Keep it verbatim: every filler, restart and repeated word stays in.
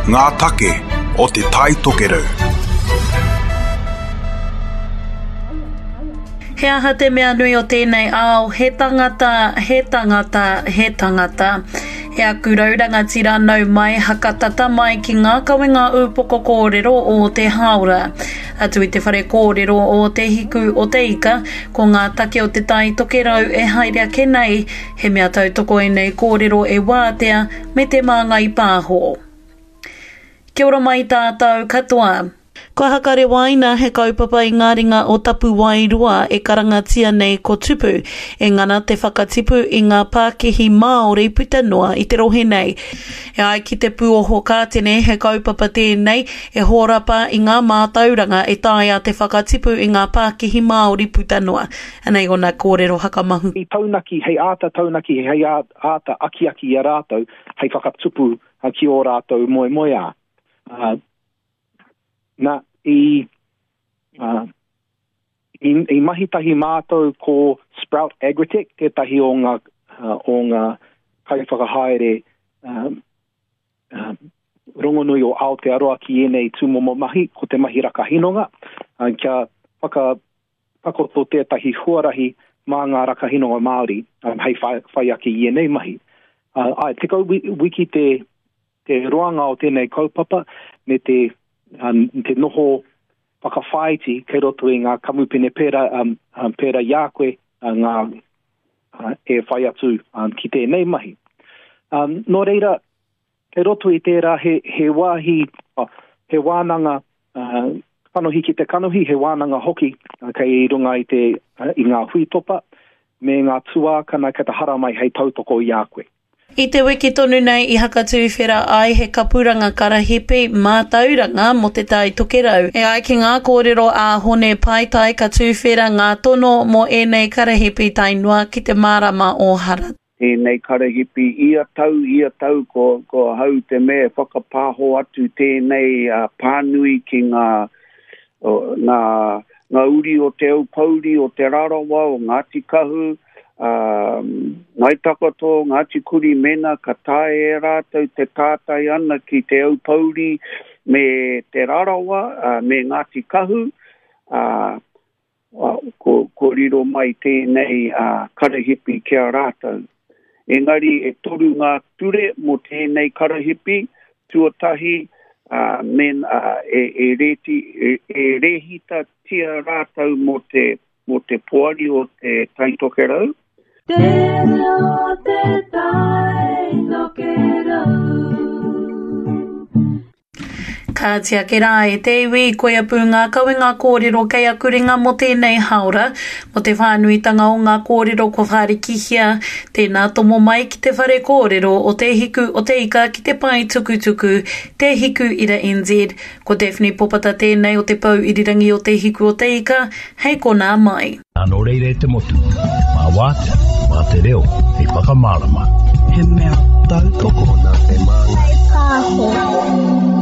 Ngā take o Te Tai Tokerau. He aha te mea nui o tēnei ao, he tangata, he tangata, he tangata. E aku rau rangatira nau mai hakatata mai ki ngā kawenga ūpoko kōrero o te hāora. Atu i te whare kōrero o Te Hiku o Te Ika, ko ngā take o Te Tai Tokerau e haere ake nei, he mea tautoko ēnei kōrero e Wātea me Te Māngai Pāho. Kia ora mai tātou katoa. Kua hakarewaina he kaupapa i ngā ringa o Tapuwaeroa e karangatia nei ko Tupu, e ngana te whakatipu i ngā pākihi Māori puta noa i te rohe nei. E ai ki te pūoho kātene, he kaupapa tēnei e hōrapa i ngā mātauranga e taea te whakatipu i ngā pākihi Māori puta noa. Anei ōna kōrero hakamahu. I taunaki, hei āta taunaki, hei āta akiaki i a rātou, hei whakatupu ki ō rātou moemoeā. Uh, na, i, uh, i, i mahi tahi mātou ko Sprout Agritech, tētahi o ngā, uh, o ngā kaiwhakahaere uh, uh, rongonui o Aotearoa ki ēnei tūmomo mahi, ko te mahi rakahinonga, uh, kia whakatakoto tētahi huarahi mā ngā rakahinonga Māori um, hei whai, whai ake i ēnei mahi. Uh, ai, tekau wiki te, te roanga o tēnei kaupapa me te, um, te noho whakawhāiti kei roto i ngā kamupene pērā, um, um, pērā i a koe uh, ngā, uh, e whai atu um, ki tēnei mahi. Um, nō reira, kei roto i tērā he, he wāhi, oh, he wānanga uh, kanohi ki te kanohi, he wānanga hoki uh, kei runga i, te, uh, i ngā huitopa me ngā tuākana kei te haramai hei tautoko i a koe. I te wiki tonu nei i hakatūwhera ai he kapuranga karahipi mātauranga mō Te Tai Tokerau. E ai ki ngā kōrero a Hone Paitai ka tūwhera ngā tono mō ēnei karahipi tae noa ki te marama o Hara. Tēnei karahipi ia tau, ia tau ko, ko hau te mea whakapāho atu tēnei uh, pānui ki ngā, o, ngā, ngā uri o Te Aupouri, o Te Rarawa, o Ngāti Kahu, um, Ngai Takoto, Ngāti Kuri mena ka tae e rātou te tātai ana ki Te Aupouri me Te Rarawa, uh, me Ngāti Kahu, uh, ko, ko riro mai tēnei uh, karahipi ki a rātou. Engari e toru ngā ture mō tēnei karahipi, tuatahi uh, men, uh, e, e, reti, e, e rehitatia rātou mō te, mō te poari o Te Tai Tokerau. Te reo te Tai Tokerau. Kāti ake rā e te iwi, koia pū ngā kawenga kōrero kei aku ringa mō tēnei hāora, mō te whānuitanga o ngā kōrero kua whārikihia, tēnā tomo mai ki te whare kōrero o Te Hiku o Te Ika ki te pae tukutuku, Te Hiku Ira N Z. Ko Daphne Popata tēnei o te Pou Irirangi o Te Hiku o Te Ika, hei konā mai. Nō reira e te motu, mā wātea, mā te reo, hei whakamārama. He mea tautoko nā Te Māngai Pāho.